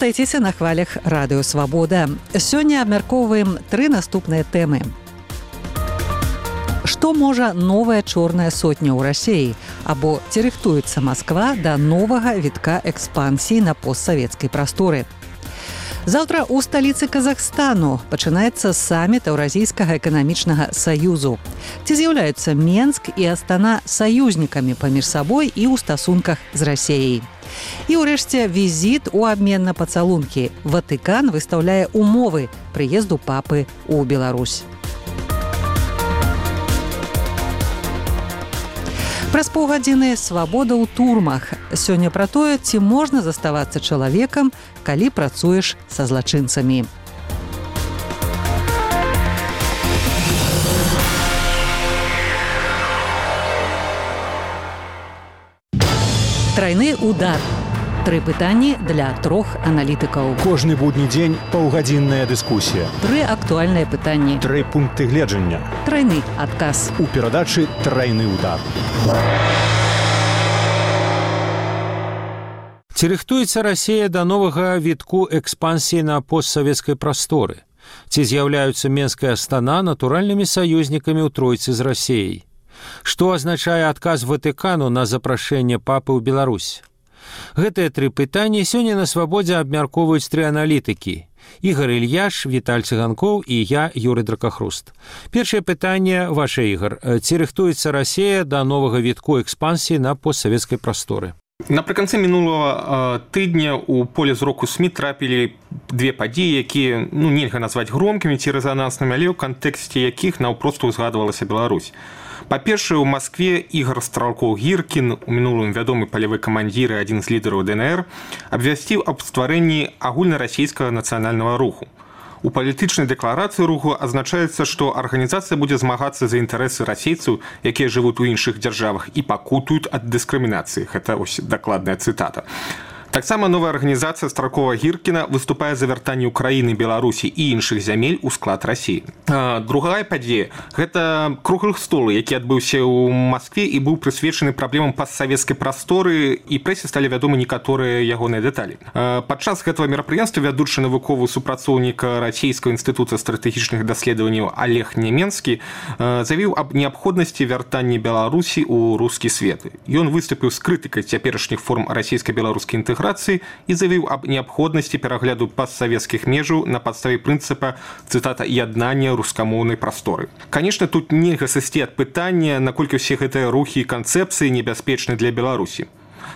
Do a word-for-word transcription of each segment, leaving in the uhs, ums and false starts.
Застайцеся на хвалях радыё Свабода. Сёння абмяркоўваем тры наступныя тэмы. Што можа новая чорная сотня ў Расіі? Або ці рыхтуецца Масква да новага вітка экспансіі на постсавецкай прасторы? Заўтра ў сталіцы Казахстану пачынаецца саміт Еўразійскага эканамічнага саюзу. Ці з'яўляюцца Менск і Астана саюзнікамі паміж сабой і ў стасунках з Расіяй? І ўрэшце візіт у абмен на пацалункі. Ватыкан выстаўляе умовы прыезду папы ў Беларусь. Праз паўгадзіны свабода ў турмах. Сёння пра тое, ці можна заставацца чалавекам, калі працуеш са злачынцамі. Трайны удар. Тры пытанні для трох аналітыкаў. Кожны будні дзень паўгадзінная дыскусія. Тры актуальныя пытанні. Тры пункты гледжання. Трайны адказ. У перадачы «Трайны удар». Ці рыхтуецца Расія да новага вітку экспансіі на постсавецкай прасторы? Ці з'яўляюцца Менск і Астана натуральнымі саюзнікамі ў тройцы з Расіяй? Што азначае адказ Ватыкану на запрашэнне папы ў Беларусь? Гэтыя тры пытанні сёння на свабодзе абмяркоўваюць тры аналітыкі. Ігар Ільяш, Віталь Цыганкоў і я, Юрый Дракахруст. Першае пытанне ваше, Ігар. Ці рыхтуецца Расія да новага вітку экспансіі на постсавецкай прасторы? Напрыканцы мінулага тыдня ў поле зроку СМІ трапілі две падзеі, якія ну, нельга назваць громкімі ці рэзананснымі, але ў кантэксце якіх наўпрост узгадвалася Беларусь. Па-першае, у Маскве Ігар Стралкоў-Гіркін, у мінулым вядомы палявы камандзір і адзін з лідараў ДНР, абвясціў аб стварэнні агульнарасійскага нацыянальнага руху. У палітычнай дэкларацыі руху азначаецца, што арганізацыя будзе змагацца за інтарэсы расейцаў, якія жывуць у іншых дзяржавах і пакутуюць ад дыскрымінацыі. Гэта ось дакладная цытата. Таксама новая арганізацыя Стралкова-Гіркіна выступае за вяртанне Украіны, Беларусі і іншых зямель у склад Расіі. Другая падзея – гэта круглы стол, які адбыўся ў Маскве і быў прысвечаны праблемам постсавецкай прасторы, і прэсе сталі вядомы некаторыя ягоныя дэталі. Падчас гэтага мерапрыемства вядучы навуковы супрацоўнік Расійскага інстытута стратэгічных даследаванняў Олег Нямецкі заявіў аб неабходнасці вяртання Беларусі ў рускі свет. Ён выступіў з крытыкай цяперашніх форм расійска-беларускай інтэграцыі і заявіў аб неабходнасці перагляду постсавецкіх межаў на падставе прынцыпа, цытата, «яднання рускамоўнай прасторы». Канешне, тут нельга сысці ад пытання, наколькі ўсе гэтыя рухі і канцэпцыі небяспечны для Беларусі.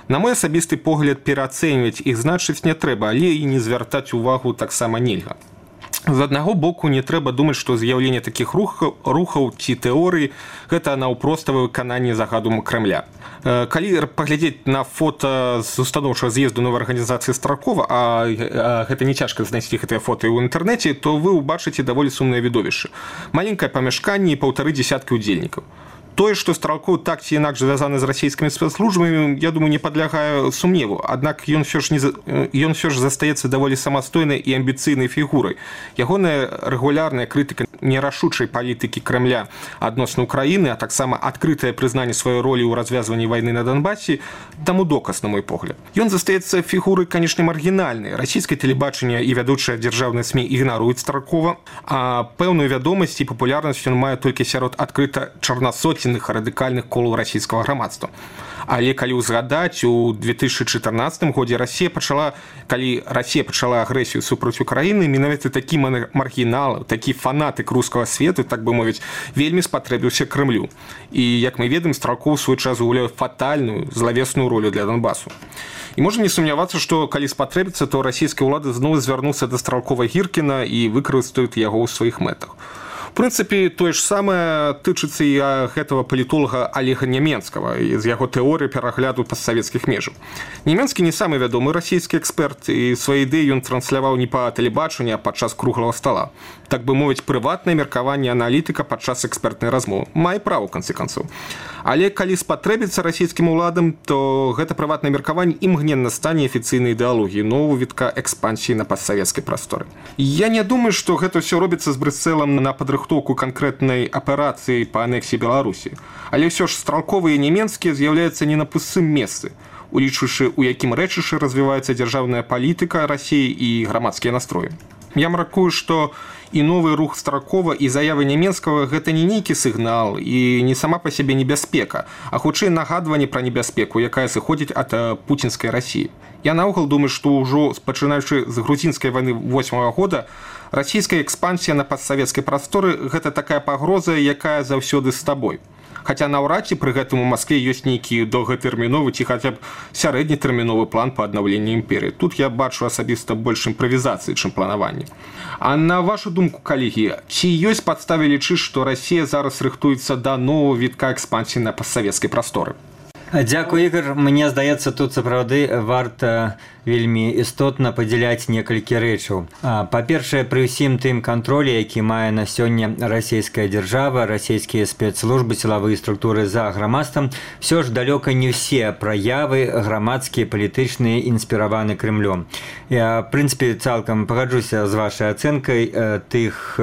На мой асабісты погляд, пераацэньваць іх значыць не трэба, але і не звяртаць увагу таксама нельга. З аднаго боку, не трэба думаць, што з'яўленне такіх рухаў, рухаў ці тэорый – гэта наўпроставае выкананне загаду Крэмля. Калі паглядзець на фота з устаноўчага з'езду новай арганізацыі Стралкова, а гэта не цяжка знайсці гэтыя фоты ў інтэрнэце, то вы ўбачыце даволі сумнае відовішча. Маленькае памяшканне і паўтары дзесяткі ўдзельнікаў. Тое, што Стралкоў так ці інакш звязаны з расійскімі спецслужбамі, я думаю, не падлягае сумневу. Аднак ён ўсё ж, не, ён ўсё ж застаецца даволі самастойнай і амбіцыйнай фігурай. Ягоная рэгулярная крытыка нерашучай палітыкі Крэмля адносна Украіны, а таксама адкрытае прызнанне сваёй ролі ў развязванні вайны на Донбасе, таму доказ, на мой погляд. Ён застаецца фігурай, канешне, маргінальнай. Расійскае тэлебачанне і вядучыя дзяржаўныя СМІ ігнаруюць Стралкова, а пэўную вядомасць і папулярнасць ён мае толькі сярод адкрыта чарнасоценных радыкальных колаў расійскага грамадства. Але калі ўзгадаць, у две тысячы чатырнаццатым годзе Расія пачала, калі Расія пачала агрэсію супраць Украіны, менавіта такі маргінал, такі фанатык рускага свету, так бы мовіць, вельмі спатрэбіўся Крэмлю. І, як мы ведаем, Стралкоў у свой час гуляе фатальную, злавесную ролю для Донбасу. І можна не сумнявацца, што калі спатрэбіцца, то расійскія ўлады зноў звярнуцца да Стралкова-Гіркіна і выкарыстаюць яго ў сваіх мэтах. В прынцыпе, тое ж самае тычыцца і гэтага палітолага Олега Нямецкага з яго тэорыі перагляду постсавецкіх межаў. Нямецкі не самы вядомы расійскі эксперт, і свае ідэі ён трансляваў не па тэлебачанні, а падчас круглага стала. Так бы мовіць, прыватнае меркаванне аналітыка падчас экспертнай размовы. Мае права, ў канцы канцоў. Але калі спатрэбіцца расійскім уладам, то гэта прыватнае меркаванне імгненна стане афіцыйнай ідэалогіяй нового вітка экспансіі на постсавецкай прасторы. Я не думаю, што гэта ўсё робіцца з Брюсселам на падрыхтоўку канкрэтнай аперацыі па анексіі Беларусі. Але ўсё ж Стралкова і Нямецкі з'яўляюцца не на пустым месцы. улічваючы, у якім рэчышчы развіваецца дзяржаўная палітыка Расіі і грамадскія настроі. Я мяркую, што і новы рух Старакова і заявы Няменскага гэта не нейкі сігнал і не сама па сябе небяспека, а хутчэй нагадванне пра небяспеку, якая сыходзіць ад пуцінскай Расіі. Я наогул думаю, што ўжо пачынаючы з грузінскай вайны восьмага года расійская экспансія на постсавецкай прасторы гэта такая пагроза, якая заўсёды з табой. Хаця наўрад ці пры гэтым у Маскве ёсць нейкі доўгатэрміновы ці хаця б сярэднетэрміновы план па аднаўленні імперыі. Тут я бачу асабіста больш імправізацыі, чым планаванне. А на вашу думку, калегі, ці ёсць падставы лічыць, што Расія зараз рыхтуецца да новага вітка экспансіі на постсавецкай прасторы? Дзякуй, Ігор. Мне здаецца, тут сапраўды варта вельмі істотна падзяляць некалькі рэчаў. Па-першае, пры ўсім тым кантролі, які мае на сёння расійская дзяржава, расійскія спецслужбы, сілавыя структуры за грамадствам, все ж далёка не ўсе праявы грамадскія, палітычныя, інспіраваны Крэмлём. Я, в прынцыпе, цалкам пагаджуся з вашай ацэнкай тых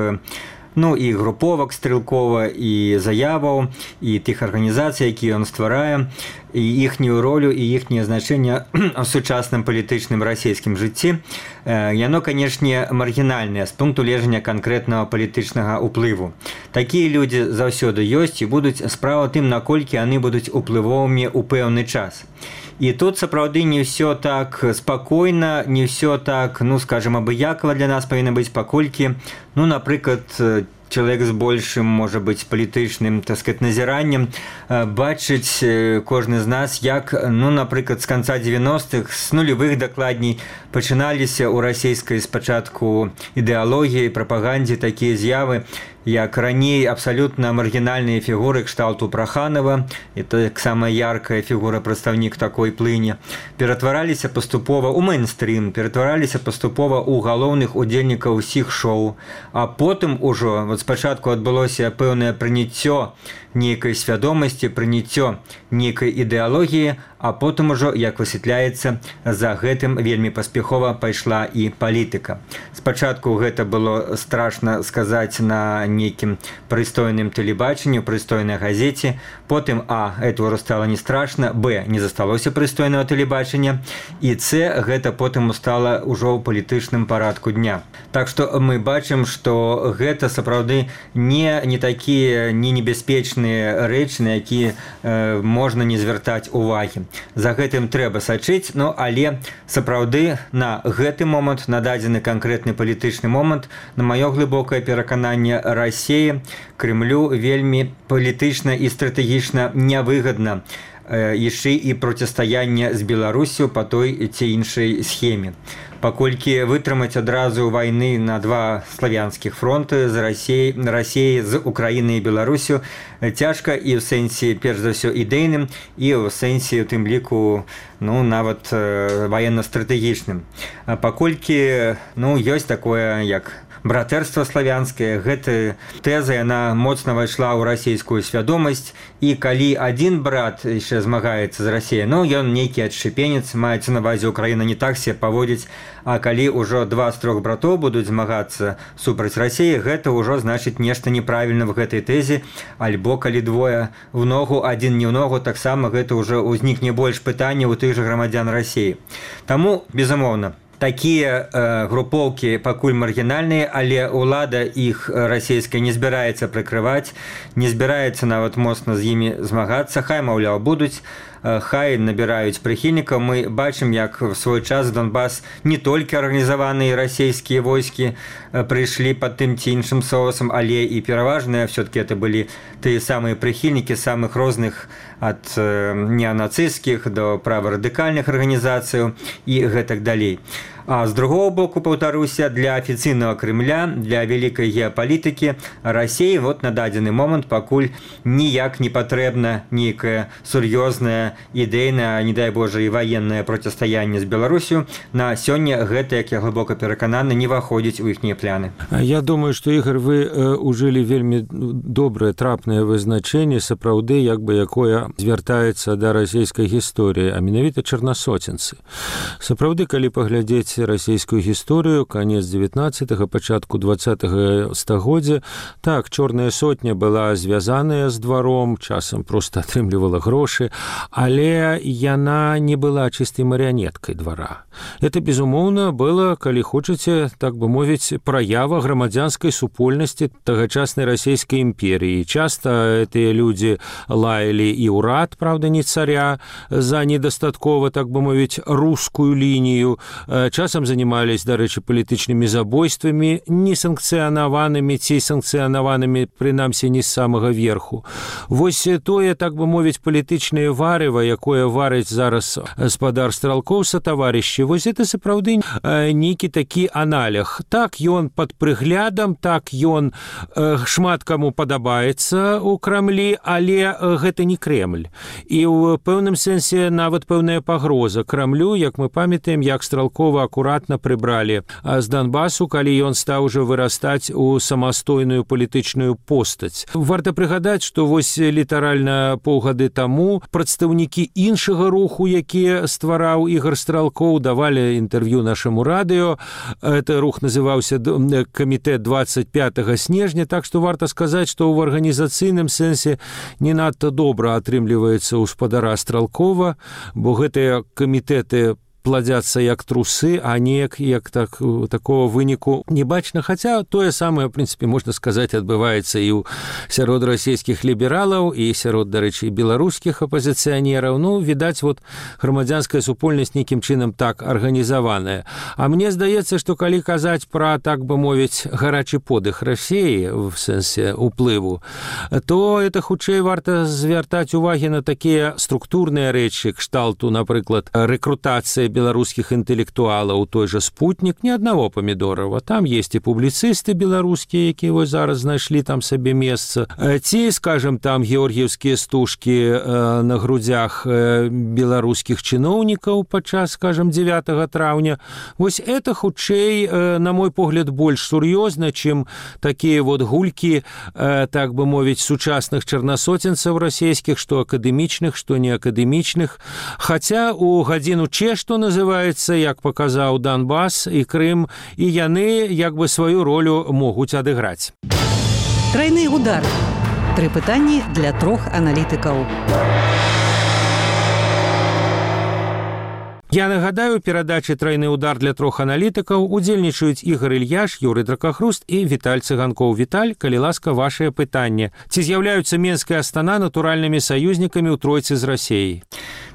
ну і груповак стрэлкова, і заяваў, і тых арганізацый, якія ён стварае, і іхнюю ролю, і іхняе значэнне ў сучасным палітычным расійскім жыцці. Яно, канешне, маргінальнае з пункту гледжання канкрэтнага палітычнага ўплыву. Такія людзі заўсёды ёсць і будуць. Справа тым, наколькі яны будуць уплывовымі ў пэўны час. І тут сапраўды не ўсё так спакойна, не ўсё так, ну, скажем, абыякава для нас павінна быць, паколькі, ну, напрыклад, чалавек з большым, можа быць, палітычным, так сказать, назіраннем бачыць кожны з нас, як, ну, напрыклад, з канца дзевяностых, з нулевых дакладней, пачыналіся ў расійскай спачатку ідэалогіі, прапагандзе такія з'явы, як раней абсалютна маргінальныя фігуры кшталту Праханова, і таксама яркая фігура, прадстаўнік такой плыні, ператвараліся паступова ў мейнстрім, ператвараліся паступова ў галоўных удзельнікаў усіх шоу, а потым ужо, вот спачатку адбылося пэўнае прыняццё нейкай свядомасці, прыняццё нейкай ідэалогіі, а потым ужо, як высвятляецца, за гэтым вельмі паспяхова пайшла і палітыка. Спачатку гэта было страшна сказаць на нейкім прыстойным тэлебачанні, прыстойнай газеце, потым, а, это ўжо стала не страшна, б, не засталося прыстойнага тэлебачання, і ц, гэта потым стала ўжо ў палітычным парадку дня. Так што мы бачым, што гэта сапраўды не, не такія не небяспечныя рэчы, на якія э, можна не звяртаць увагі. За гэтым трэба сачыць, ну, але сапраўды на гэты момант, на дадзены канкрэтны палітычны момант, на маё глыбокае перакананне, Расіі, Крэмлю вельмі палітычна і стратэгічна нявыгадна яшчэ і процістаянне з Беларусю па той ці іншай схеме. Паколькі вытрымаць адразу вайны на два славянскіх фронты з Расіяй, Расіяй з Украінай і Беларусю цяжка і ў сэнсе, перш за ўсё, ідэйным, і ў сэнсе, у тым ліку, ну, нават ваенна-стратэгічным. Паколькі, ну, ёсць такое, як братэрства славянскае, гэта тэза, яна моцна вайшла ў расійскую свядомасць, і калі адзін брат яшчэ змагаецца з Расіяй, ну, ён нейкі адшчэпенец, маецца на ўвазе, Украіна не так себе паводзіць, а калі ўжо два з трох братоў будуць змагацца супраць Расіі, гэта ўжо значыць нешта неправільна в гэтай тэзе, альбо калі двое в ногу, адзін не ў ногу, таксама гэта ўжо ўзнікне больш пытанняў у тых жа грамадзян Расіі. Таму, безумоўна, такія э, групоўкі пакуль маргінальныя, але ўлада іх расійская не збіраецца прыкрываць, не збіраецца нават моцна з імі змагацца, хай, маўляў, будуць, э, хай набіраюць прыхільнікаў. Мы бачым, як в свой час Донбас не толькі арганізаваныя расійскія войскі э, прыйшлі пад тым ці іншым соусам, але і пераважныя все-таки это былі тыя самыя прыхільнікі самых розных, ад э, неанацысцкіх до праворадыкальных арганізацыяў і гэтак далей. А з другого боку, паўтаруся, для афіцыйнага Крэмля, для вялікай геапалітыкі Расіі вот на дадзены момант пакуль ніяк не патрэбна нейкае сур'ёзнае, ідэйнае, не дай Божа, і ваеннае процістаянне з Беларусю. На сёння гэта, як я глыбока перакананы, не ўваходзіць у іхнія пляны. Я думаю, што, Ігор, вы э, ужылі вельмі добрае, трапнае вызначэнне, сапраўды, як бы якое звяртаецца да расійскай гісторыі, а менавіта чарнасоценцы. Сапраўды, калі паглядзець згадаць расійскую гісторыю канец дзевятнаццатага, пачатку дваццатага стагоддзя. Так, чорная сотня была звязаная з дваром, часам проста атрымлівала грошы, але яна не была чыстай марыянеткай двара. Это, безумоўна, было, калі хочаце, так бы мовіць, праява грамадзянскай супольнасці тагачаснай расійскай імперіі. Часта гэтыя людзі лаялі і ўрад, правда, не царя, за недастаткова, так бы мовіць, рускую лінію. Часам занимались, дарэчы, палітычнымі забойствамі, несанкцыянаванымі ці санкцыянаванымі, прынамсі, не з самага верху. Вось тое, так бы мовіць, палітычнае варыва, якое варыць зараз гаспадар Стралкоў са таварышы, вось это сапраўды нейкі такі аналег. Так, ён пад прыглядам, так, ён шмат каму падабаецца ў Крамлі, але гэта не Кремль. І ў пэўным сэнсе нават пэўная пагроза Крамлю, як мы памятаем, як Стралкова акуратна прыбралі з Донбасу, калі ён стаў ужо вырастаць у самастойную палітычную постаць. Варта прыгадаць, што вось літаральна паўгады таму прадстаўнікі іншага руху, які ствараў Ігор Стралкоў, давалі інтэрв'ю нашаму радыё. Это рух называўся камітэт двадцать пятага снежня, так што варта сказаць, што ў арганізацыйным сэнсе не надта добра атрымліваецца ў спадара Стралкова, бо гэтыя камітэты пладзяцца як трусы, а неяк як так, такого выніку не бачна. Хаця тое самае, в прынцыпе, можна сказаць, адбываецца і ў сярод расійскіх лібералаў, і сярод, дарэчы, беларускіх апазіцыянераў. Ну, відаць, вот грамадзянская супольнасць нейкім чынам так арганізаваная. А мне здаецца, што калі казаць пра, так бы мовіць, гарачы подых Расіі, в сэнсе уплыву, то это хутчэй варта звяртаць увагі на такія структурныя рэчы, кшталту, напрыклад, рэкрутацыя беларускіх інтэлектуалаў, той жа Спутнік, не аднаго Памідорава. Там есть і публіцысты беларускія, якія вось зараз знайшлі там сабе месца. Ці, скажем, там георгіевскія стужкі на грудзях беларускіх чыноўнікаў падчас, скажем, дзевятага траўня. Вось это хутчэй, на мой погляд, больш сур'ёзна, чым такія вот гулькі, так бы мовіць, сучасных чарнасоценцаў расійскіх, што акадэмічных, што неакадэмічных. Хаця у гадзіну Ч, што называецца, як паказаў Донбас і Крым, і яны як бы сваю ролю могуць адыграць. Трайны удар. Тры пытанні для трох аналітыкаў. Я нагадаю, перадачы «Трайны удар» для трох аналітыкаў удзельнічаюць Ігор Ільяш, Юрый Дракахруст і Віталь Цыганкоў. Віталь, калі ласка, вашае пытанне. Ці з'яўляюцца Менская Астана натуральнымі саюзнікамі ў тройцы з Расіяй?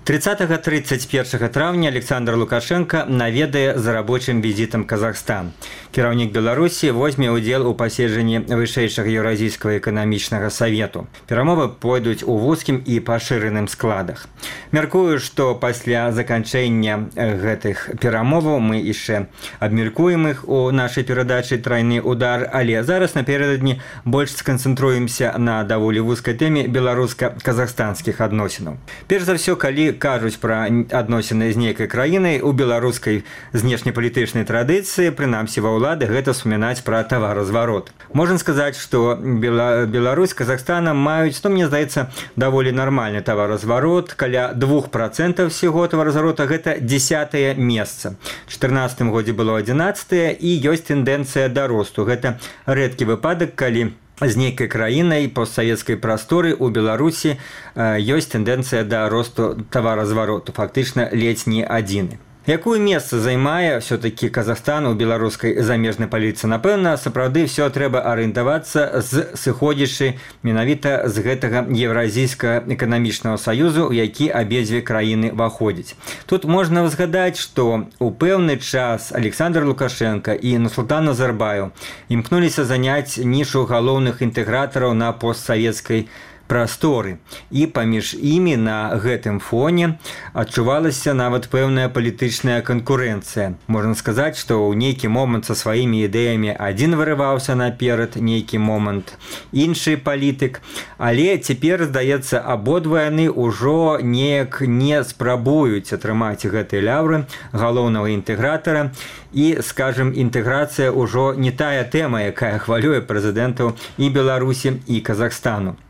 тридцатого тридцать первого траўня Александр Лукашенко наведае за рабочым візітам Казахстан. Кіраўнік Беларусі возьме ўдзел у паседжанні вышэйшага Еўразійскага эканамічнага савету. Перамовы пойдуць у вузкім і пашыраным складах. Мяркую, што пасля заканчэння гэтых перамоваў мы яшчэ абмеркуем іх у нашай перадачы «Трайны удар», але зараз напярэдадні больш сканцэнтруемся на даволі вузкай тэме беларуска-казахстанскіх адносінаў. Перш за ўсё, калі кажуць пра адносіны з нейкай краінай, у беларускай знешнепалітычнай традыцыі, прынамсі ва ўлады, гэта вспамінаць пра таваразварот. Можна сказаць, што Бела... Беларусь, Казахстана маюць, ну, мне здаецца, даволі нармальны таваразварот, каля двух процентаў всего таваразварота, гэта дзесятае месца. У чатырнаццатым годзе было адзінаццатае, і ёсць тэндэнцыя да росту. Гэта рэдкі выпадак, калі з нейкай краінай постсавецкай прасторы у Беларусі ёсць тэндэнцыя да росту таваразвароту, фактычна ледзь не адзіны. Якое месца займае все-таки Казахстан у беларускай замежнай палітыцы? Напэўна, сапраўды все трэба арыентавацца з сыходзячы менавіта з гэтага Еўразійскага эканамічнага саюзу, у які абедзве краіны ўваходзяць. Тут можна згадаць, што у пэўны час Александр Лукашенко і Нурсултан Назарбаев імкнуліся заняць нішу галоўных інтэгратараў на постсавецкай прасторы. І паміж імі на гэтым фоне адчувалася нават пэўная палітычная канкурэнцыя. Можна сказаць, што ў нейкі момант са сваімі ідэямі адзін вырываўся наперад, нейкі момант іншы палітык, але цяпер, здаецца, абодва яны ўжо неяк не спрабуюць атрымаць гэтыя лаўры галоўнага інтэгратара, і, скажем, інтэграцыя ўжо не тая тэма, якая хвалюе прэзідэнтаў і Беларусі, і Казахстану.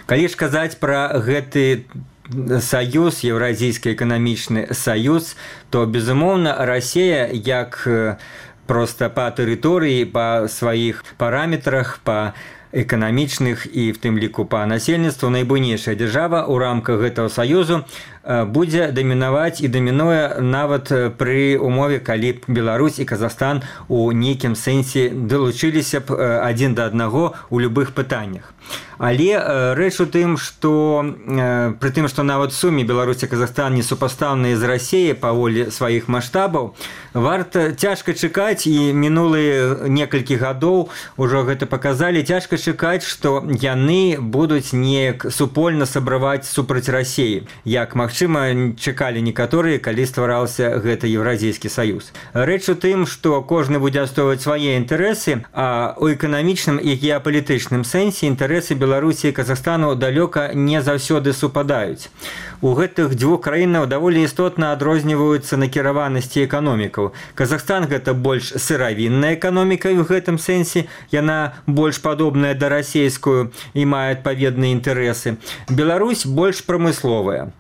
Калі ж казаць пра гэты саюз, еўразійскі эканамічны саюз, то, безумоўна, Расія як проста па тэрыторыі, па сваіх параметрах, па эканамічных і в тым ліку па насельніцтву найбуйнейшая дзяржава ў рамках гэтага саюзу будзе дамінаваць і дамінуе нават пры умове, калі б Беларусь і Казахстан у нейкім сэнсе далучыліся б адзін да аднаго ў любых пытаннях. Але рэч у тым, што пры тым, што нават суме Беларусь і Казахстан не супастаўныя з Расіяй паволі сваіх маштабаў, варта цяжка чакаць, і мінулыя некалькі гадоў ужо гэта паказалі, цяжка чакаць, што яны будуць неяк супольна сабраваць супраць Расіі, як магчыма чакалі некаторыя, калі ствараўся гэта Еўразійскі саюз. Рэч у тым, што кожны будзе адстойваць свае інтарэсы, а ў эканамічным і геапалітычным сэнсе інтарэсы Беларусі і Казахстану далёка не заўсёды супадаюць. У гэтых дзвюх краінах даволі істотна адрозніваюцца накіраванасці эканомікаў. Казахстан гэта больш сыравінная эканоміка, і ў гэтым сэнсе яна больш падобная да расійскую і мае адпаведныя інтарэсы. Беларусь больш прамысловая.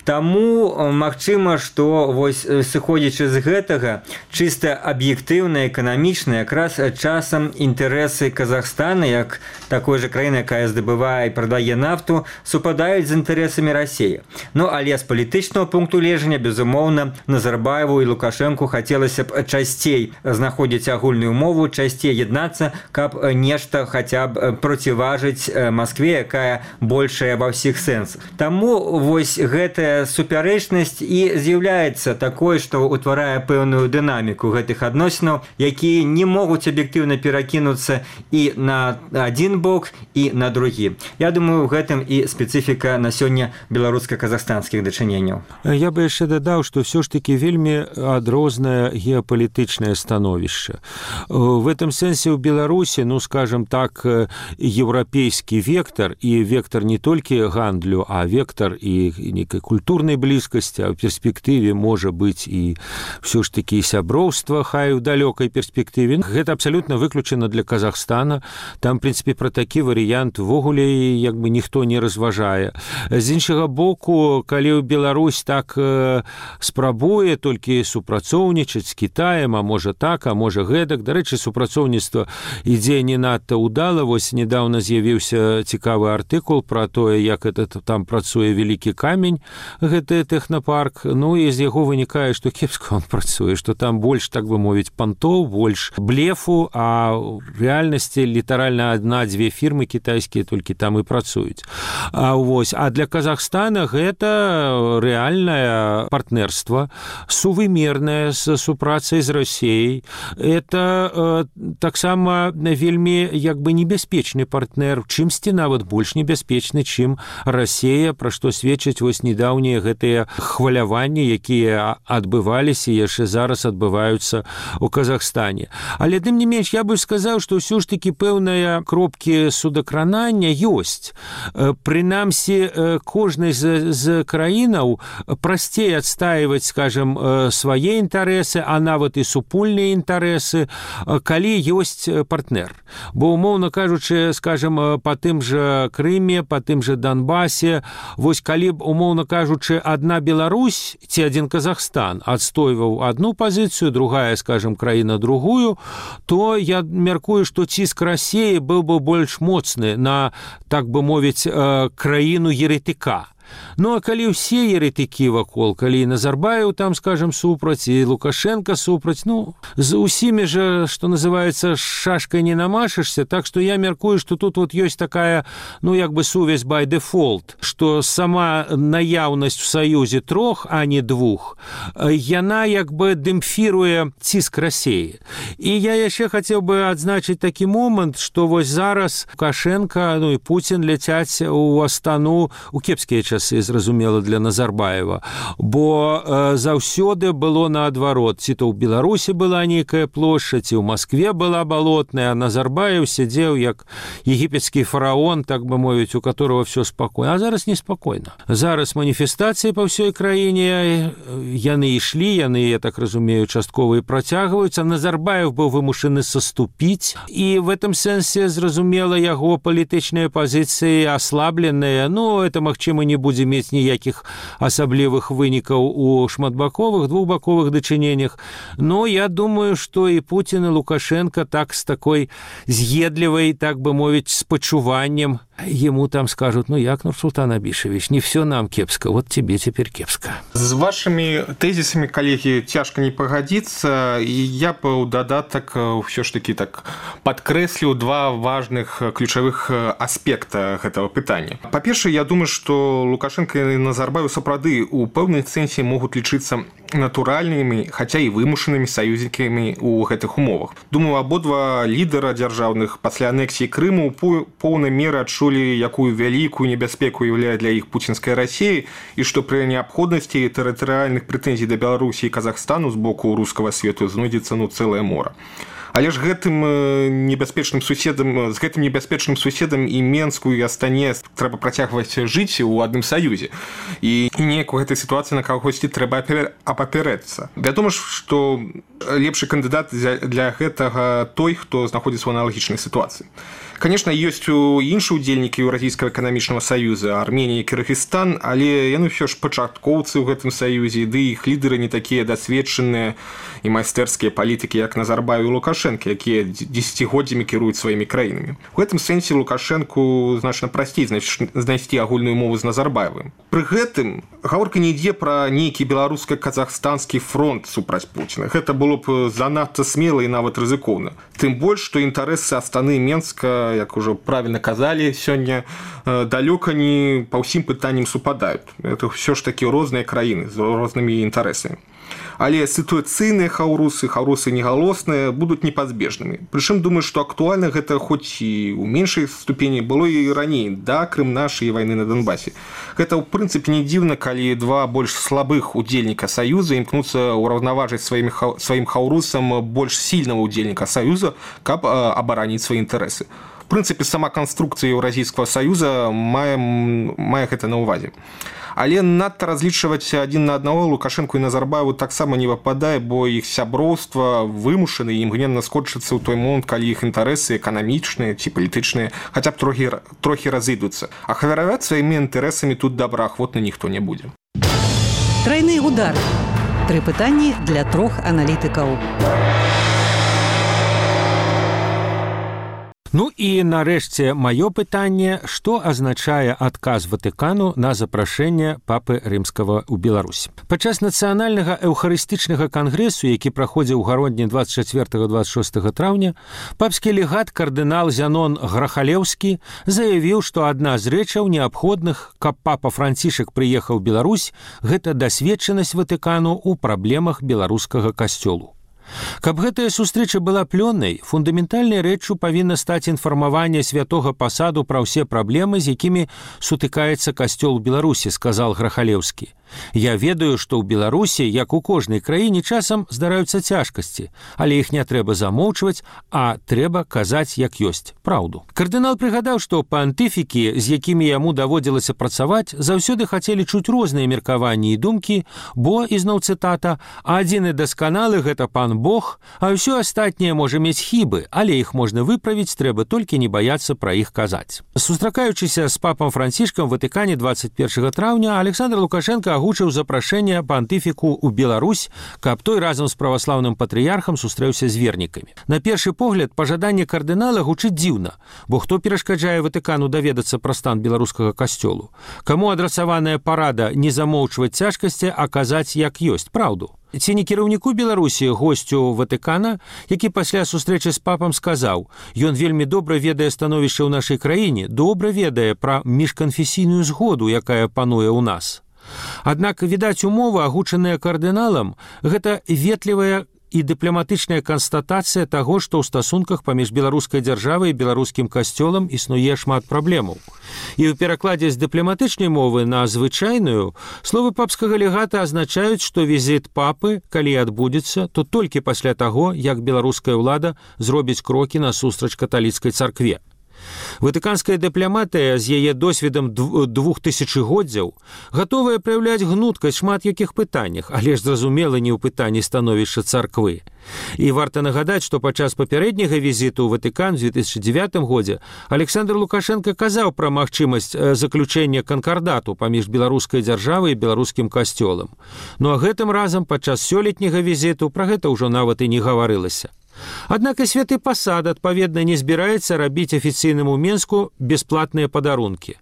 Таму магчыма, што вось сыходзячы з гэтага, чыста аб'ектыўна, эканамічна, якраз часам інтарэсы Казахстана, як такой жа краіны, якая здабывае і прадае нафту, супадаюць з інтарэсамі Расіі. Ну, але з палітычнага пункту гледжання, безумоўна, Назарбаеву і Лукашэнку хацелася б часцей знаходзіць агульную мову, часцей яднацца, каб нешта хаця б проціважыць Маскве, якая большая ва ўсіх сэнсах. Таму вось гэтая супярэчнасць і з'яўляецца такой, што ўтварае пэўную дынаміку гэтых адносінаў, якія не могуць аб'ектыўна перакінуцца і на адзін бок, і на другі. Я думаю, у гэтым і спецыфіка на сёння беларуска-казахстанскіх дачыненняў. Я бы яшчэ дадаў, што ўсё ж такі вельмі адрознае геапалітычнае становішча. В этом сэнсе ў Беларусі, ну, скажем так, еўрапейскі вектар, і вектар не толькі гандлю, а вектар і нейкай культуры, культурной близкости, а в перспективе можа быць і все ж таки сяброўства, хай у далёкай перспектыве. Гэта абсолютно выключена для Казахстана. Там, в принципе, про такі варыянт ввогуле як бы ніхто не разважае. З іншага боку, калі Беларусь так э, спрабуе толькі супрацоўнічаць з Кітаем, а можа так, а можа гэтак. Дарэчы, супрацоўніцтва ідзе не надта ўдала. Вось недавно з'явіўся цікавы артыкул про тое, як это там працуе вялікі камень, гэты тэхнапарк, ну і з яго вынікае, што кепска он працуе, што там больш, так бы мовіць, пантоў, больш блефу, а ў рэальнасці літаральна адна-дзве фірмы кітайскія толькі там і працуюць. А, вось, а для Казахстана гэта рэальнае партнерства, сувымернае з супрацай з Расіяй. Это э, таксама вельмі як бы небяспечны партнер, чымсьці нават больш небяспечны, чым Расія, пра што сведчаць вось недаўнія гэтыя хваляванні, якія адбываліся і яшчэ зараз адбываюцца ў Казахстане. Але тым не менш, я бы сказаў, што ўсё ж такі пэўныя кропкі судакранання ёсць. Прынамсі, кожнай з, з краінаў прасцей адстаиваць, скажем, свае інтарэсы, а нават і супольныя інтарэсы, калі ёсць партнер. Бо, умоўна кажучы, скажем, па тым жа Крыме, па тым жа Донбасе, вось калі б, умоўна кажучы, одна Беларусь ці один Казахстан адстойваў одну пазіцыю, другая, скажем, краіна другую, то я мяркую, што ціск Расіі быў бы больш моцны на, так бы мовіць, краіну еретыка. Ну, а калі ўсе еретыкі вакол, калі Назарбаев там, скажем, супраць, і Лукашенко супраць, ну, з усімі же, што называецца, шашкай не намашышся, так што я мяркую, што тут вот ёсць такая, ну, як бы сувязь by default, што сама наяўнасць у саюзе трох, а не двух, яна як бы дэмпфіруе ціск Расіі. І я яшчэ хацеў бы адзначыць такі момант, што вось зараз Лукашенко, ну, і Путін ляцяць у Астану у кепскія часы, зразумела, для Назарбаева, бо э, заўсёды было наадварот. Ці то ў Беларусі была нейкая плошча, ці ў Маскве была балотная, а Назарбаев сядзеў як егіпецкі фараон, так бы мовіць, у которого все спакойна. А зараз неспакойна. Зараз маніфестацыі па ўсёй краіне, яны ішлі, яны, я так разумею, часткова і працягваюцца. Назарбаев быў вымушаны саступіць, і в этом сэнсе, зразумела, яго палітычныя пазіцыі аслабленыя. Ну, это, магчыма, не будзе мець ніякіх асаблівых вынікаў у шматбаковых, двухбаковых дачыненнях. Но я думаю, што і Путін, і Лукашенко так з такой з'едлівай, так бы мовіць, спачуваннем ему там скажут: ну як, Нурсултан Абишевич, не все нам кепска, вот тебе теперь кепска. С вашими тезисами, коллеги, тяжко не погодиться, и я бы у додаток все ж таки так подкреслил два важных ключевых аспекта этого питания. По-перше, я думаю, что Лукашенко и Назарбаев сапраўды у пэўнай сэнсе могут лічыцца натуральнымі, хотя и вымушанымі союзниками у гэтых умовах. Думаю, абодва лідара дзяржаўных пасля анексіі Крыму у поўнай меры адчулі, якую вялікую небяспеку ўяўляе для іх пуцінская Расія, і што пры неабходнасці тэрытарыяльных прэтэнзій да Беларусі і Казахстану з боку рускага свету знойдзецца ну цэлае мора. Але ж гэтым небяспечным суседам, з гэтым небяспечным суседам і Менску, і Астане трэба працягваць жыць у адным саюзе. І неяк у гэтай сітуацыі на кагосьці трэба апаперэцца. Вядома ж, што лепшы кандыдат для гэтага той, хто знаходзіцца ў аналагічнай сітуацыі. Конечно, ёсць у іншыя ўдзельнікі Еўразійскага эканамічнага саюза, Арменія і Кыргызстан, але яны ўсё ж пачаткоўцы ў гэтым саюзе, ды іх лідары не такія дасведчаныя і майстэрскія палітыкі, як Назарбаев і Лукашенко, якія дзесяцігоддзямі кіруюць сваімі краінамі. У гэтым сэнсе Лукашенку значна прасцей знайсці агульную мову з Назарбаевым. Пры гэтым гаворка не ідзе пра нейкі беларуска-казахстанскі фронт супраць Пуціна. Гэта было б занадта смела і нават рызыкоўна. Тым больш, што інтарэсы Астаны і Менска, як ужо правільна казалі сёння, далёка не па ўсім пытанням супадаюць. Это ўсё ж такі розныя краіны з рознымі інтарэсамі. Але сітуацыйныя хаўрусы, хаўрусы негалосныя будуць непазбежнымі. Прычым, думаю, што актуальна гэта хоць і ў меншай ступені было і раней, да Крым нашай вайны на Донбасе. Гэта, ў прынцыпе, не дзіўна, калі два больш слабых удзельніка Саюза імкнуцца ўраўнаважыць сваім хаўрусам больш сільнага удзельніка Саюза, каб абараніць свае інтарэсы. В прынцыпе, сама канструкцыя Еўразійскага саюза мае, мае гэта на ўвазе. Але надта разлічваць адзін на аднаго Лукашенку і Назарбаеву таксама не выпадае, бо іх сяброўства вымушаны і імгненна скончыцца ў той момант, калі іх інтарэсы эканамічныя ці палітычныя хаця б трохі, трохі разыдуцца. А хавараваць сваімі інтарэсамі тут добраахвотна ніхто не будзе. Трайны удар. Тры пытанні для трох аналітыкаў. Ну і нарэшце маё пытанне, што азначае адказ Ватыкану на запрашэнне папы рымскага ў Беларусь. Падчас нацыянальнага эўхарыстычнага кангрэсу, які праходзіў у гародні дваццаць чацвёртага - дваццаць шостага траўня, папскі легат кардынал Зянон Грахалеўскі заявіў, што адна з рэчаў неабходных, каб папа Францішак прыехаў у Беларусь, гэта дасведчанасць Ватыкану ў праблемах беларускага касцёлу. Каб гэтая сустрэча была плённай, фундаментальнай рэччу павінна стаць інфармаванне святога пасаду пра ўсе праблемы, з якімі сутыкаецца касцёл у Беларусі, сказал Грахалеўскі. Я ведаю, што ў Беларусі, як у кожнай краіне, часам здараюцца цяжкасці, але іх не трэба замоўчваць, а трэба казаць, як ёсць, праўду. Кардынал прыгадаў, што пантыфікі, з якімі яму даводзілася працаваць, заўсёды хацелі чуць розныя меркаванні і думкі, бо, ізноў цытата, «адзіны дасканалы гэта пан Бог, а ўсё астатняе можа мець хібы, але іх можна выправіць, трэба толькі не баяцца пра іх казаць». Сустракаючыся з папам Францішкам у Ватыкане дваццаць першага траўня, Александр Лукашенко агучыў запрашэнне пантыфіку ў Беларусь, каб той разам з праваслаўным патрыярхам сустрэўся з вернікамі. На першы погляд, пажаданне кардынала гучыць дзіўна, бо хто перашкаджае Ватыкану даведацца пра стан беларускага касцёлу? Каму адрасаваная парада не замоўчваць цяжкасці, а казаць, як ёсць, праўду? Ці не кіраўніку Беларусі, госцю Ватыкана, які пасля сустрэчы з папам сказаў: «Ён вельмі добра ведае становішча ў нашай краіне, добра ведае пра міжканфесійную згоду, якая пануе ў нас». Аднак, відаць, умова, агучаная кардыналам, гэта ветлівая і дыпламатычная канстатацыя таго, што ў стасунках паміж беларускай дзяржавай і беларускім касцёлам існуе шмат праблемаў. І ў перакладзе з дыпламатычнай мовы на звычайную словы папскага легата азначаюць, што візіт папы, калі адбудзецца, то толькі пасля таго, як беларуская ўлада зробіць крокі насустрач каталіцкай царкве. Ватыканская дыпламатыя з яе досведам двух тысячагоддзяў гатовая праяўляць гнуткасць шмат якіх пытаннях, але ж зразумела не ў пытанні становішча царквы. І варта нагадаць, што падчас папярэдняга візіту ў Ватыкан у две тысячи девятым годзе Александр Лукашенко казаў пра магчымасць заключэння канкардату паміж беларускай дзяржавай і беларускім касцёлам. Ну а гэтым разам падчас сёлетняга візіту пра гэта ўжо нават і не гаварылася. Аднак і святы пасад, адпаведна, не збіраецца рабіць афіцыйнаму Менску бясплатныя падарункі.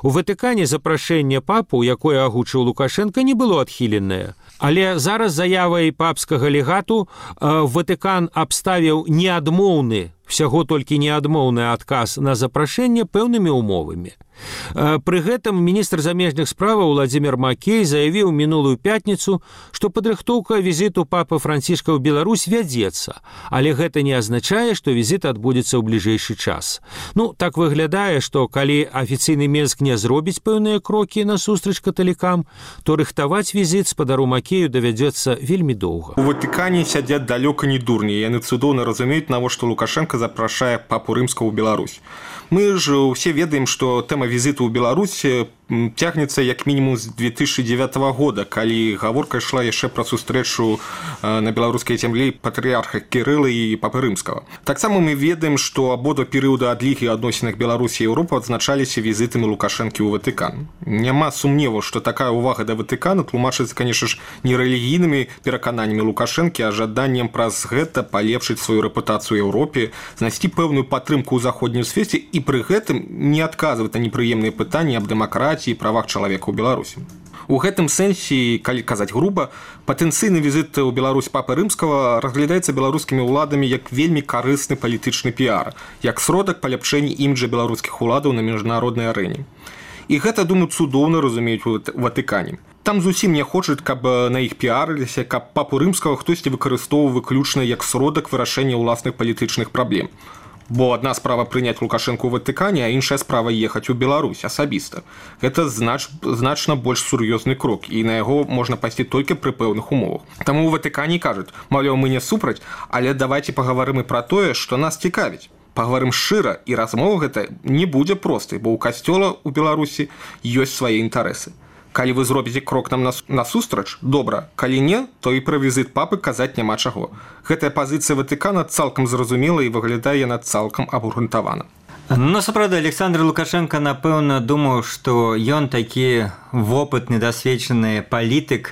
У Ватыкане запрашэнне папу, якое агучыў Лукашенко, не было адхіленае. Але зараз заявай папскага легату э, Ватыкан абставіў неадмоўны, всяго толькі неадмоўны адказ на запрашэнне пэўнымі умовамі. Пры гэтым міністр замежных справаў Владзімір Макей заявіў мінулую пятніцу, што падрыхтоўка візіту папы Францішка ў Беларусь вядзецца, але гэта не азначае, што візіт адбудзецца ў бліжэйшы час. Ну, так выглядае, што калі афіцыйны Менск не зробіць пэўныя крокі насустрач каталікам, то рыхтаваць візіт спадару Макею давядзецца вельмі доўга. У Ватыкане сядзяць далёка не дурні, яны цудоўна разумеюць, навошта Лукашенко запрашае папу рымскага ў Беларусь. Мы ж усе ведаем, што тэма візіту ў Беларусь цягнецца як мінімум з две тысячи девятого года, калі гаворка ішла яшчэ пра сустрэчу на беларускай зямлі патрыярха Кірыла і папы рымскага. Таксама мы ведаем, што абодва перыяды адлігі ў адносінах Беларусі і Еўропы адзначаліся візітамі Лукашэнкі ў Ватыкан. Няма сумневу, што такая ўвага да Ватыкана тлумачыцца, канешне ж, не рэлігійнымі перакананнямі Лукашэнкі, а жаданнем праз гэта палепшыць сваю рэпутацыю ў Еўропе, знайсці пэўную падтрымку ў заходнім свеце і пры гэтым не адказваць на непрыемныя пытанні аб дэмакратыі і правах чалавека ў Беларусі. У гэтым сэнсе, калі казаць груба, патэнцыйны візіт ў Беларусь папы рымскага разглядаецца беларускімі ўладамі як вельмі карысны палітычны піар, як сродак паляпшэння іміджа беларускіх уладаў на міжнароднай арэне. І гэта, думаю, цудоўна разумеюць у Ватыкане. Там зусім не хочуць, каб на іх піарыліся, каб папу рымскага хтосьці выкарыстоўваў выключна як сродак вырашэння ўласных палітычных праблем. Бо адна справа прыняць Лукашэнку ў Ватыкане, а іншая справа ехаць у Беларусь асабіста. Гэта знач, значна больш сур'ёзны крок, і на яго можна пайсці толькі пры пэўных умовах. Таму ў Ватыкане кажуць, маўляў, мы не супраць, але давайце пагаварым і пра тое, што нас цікавіць. Пагаварым шчыра, і размова гэта не будзе простай, бо ў касцёла ў Беларусі ёсць свае інтарэсы. Калі вы зробіце крок нам насустрач, добра, калі не, то і пра візіт папы казаць няма чаго. Гэтая пазіцыя Ватыкана цалкам зразумела і выглядае яна цалкам абгрунтавана. Ну, сапраўды, Александр Лукашенко, напэўна, думаў, што ён такі вопытны, дасведчаны палітык,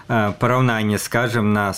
параўнанне, скажем, на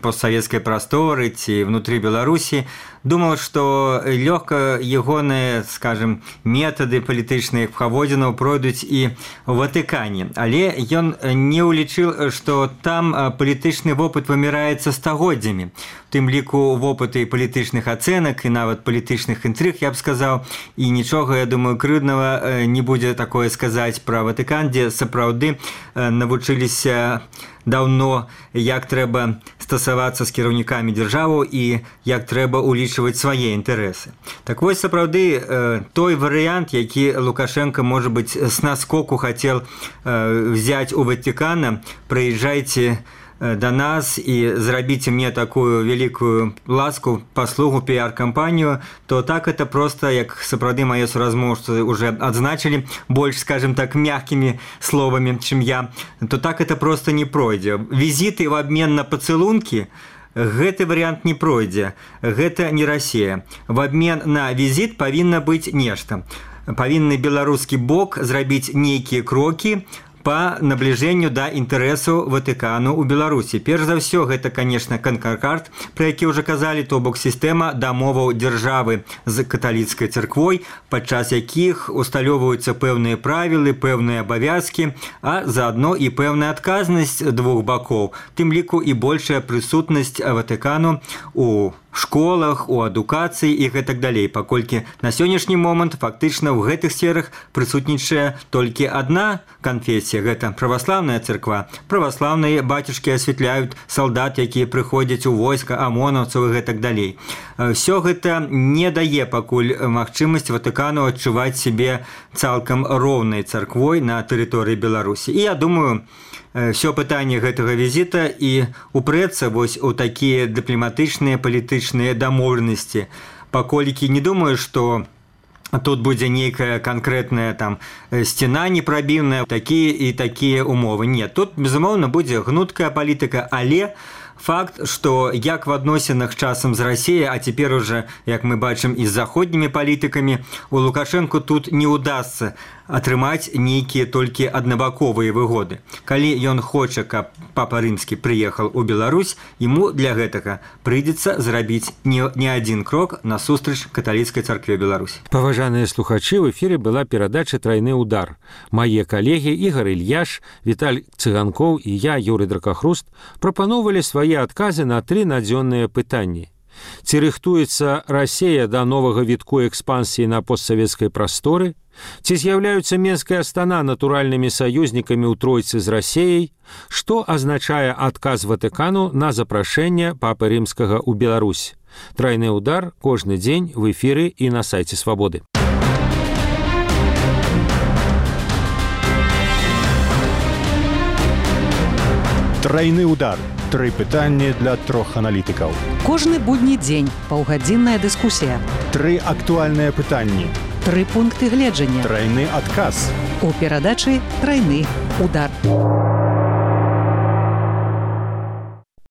постсавецкай прасторы ці внутры Беларусі, думаў, што лёгка ягоныя, скажем, метады палітычных паводзінаў пройдуць і ў Ватыкане. Але ён не ўлічыў, што там палітычны вопыт выміраецца стагоддзямі. У тым ліку вопыты палітычных ацэнак і нават палітычных інтрыг, я б сказаў, і нічога, я думаю, крыўднага не будзе такое сказаць пра Ватыкан, дзе сапраўды навучыліся даўно, як трэба стасавацца з кіраўнікамі дзяржавы і як трэба ўлічваць свае інтарэсы. Так вось, сапраўды, той варыянт, які Лукашенко, можа быць, з наскоку хацеў взяць у Ватыкана, прыязджайце да нас і зрабіце мне такую вялікую ласку, паслугу, піар-кампанію, то так это просто, як сапраўды мае суразмоўцы уже адзначылі, больш, скажем так, мягкімі словамі, чым я, то так это просто не пройдзе. Візіты в абмен на пацылункі, гэты варыянт не пройдзе, гэта не Расія. В абмен на візіт павінна быць нешта. Павінны беларускі бок зрабіць нейкія крокі по наближению да інтарэсу Ватыкану ў Беларусі. Перш за ўсё, гэта, конечно, канкард, пра які ўжо казалі, то бок сістэма дамоваў дзяржавы з каталіцкай царквой, падчас якіх усталёўваюцца пэўныя правілы, пэўныя абавязкі, а заадно і пэўная адказнасць двух бакоў, тым ліку і большая прысутнасць Ватыкану у школах, у адукацыі і гэтак далей, паколькі на сённяшні момант фактычна ў гэтых сферах прысутнічае толькі адна канфесія, гэта праваслаўная царква. Праваслаўныя бацюшкі асвятляюць салдат, якія прыходзяць у войска, амонаўцаў і гэтак далей. Всё гэта не дае пакуль магчымасць Ватыкану адчуваць сябе цалкам роўнай царквой на тэрыторыі Беларусі. І я думаю, все пытанне гэтага візіта і упрэцца вось у такія дыпламатычныя палітычныя дамоўленасці, паколькі не думаю, што тут будзе нейкая канкрэтная там сцена непрабіўная, такія і такія умовы. Нет, тут, безумоўна, будзе гнуткая палітыка, але факт, што як в адносінах часам з Расіяй, а цяпер уже, як мы бачым, і з заходнімі палітыкамі, у Лукашэнку тут не ўдасца атрымаць нейкія толькі аднабаковыя выгоды. Калі ён хоча, каб папа рымскі прыехаў у Беларусь, яму для гэтага прыйдзецца зрабіць не, не адзін крок насустрач каталіцкай царкве Беларусі. Паважаныя слухачы, в эфіры была перадача «Трайны удар». Мае калегі Ігор Ільяш, Віталь Цыганкоў і я, Юрый Дракахруст, прапаноўвалі свае адказы на тры надзённыя пытанні. Ці рыхтуецца Расія да новага вітку экспансіі на постсавецкай прасторы? Ці з'яўляюцца Менская Астана натуральнымі саюзнікамі ў тройцы з Расіяй? Што азначае адказ Ватыкану на запрашэнне папы рымскага ў Беларусь? Трайны удар кожны дзень в эфіры і на сайце Свабоды. Трайны удар. Тры пытанні для трох аналітыкаў. Кожны будні дзень паўгадзінная дыскусія. Тры актуальныя пытанні. Тры пункты гледжання. Трайны адказ. У перадачы «Трайны удар».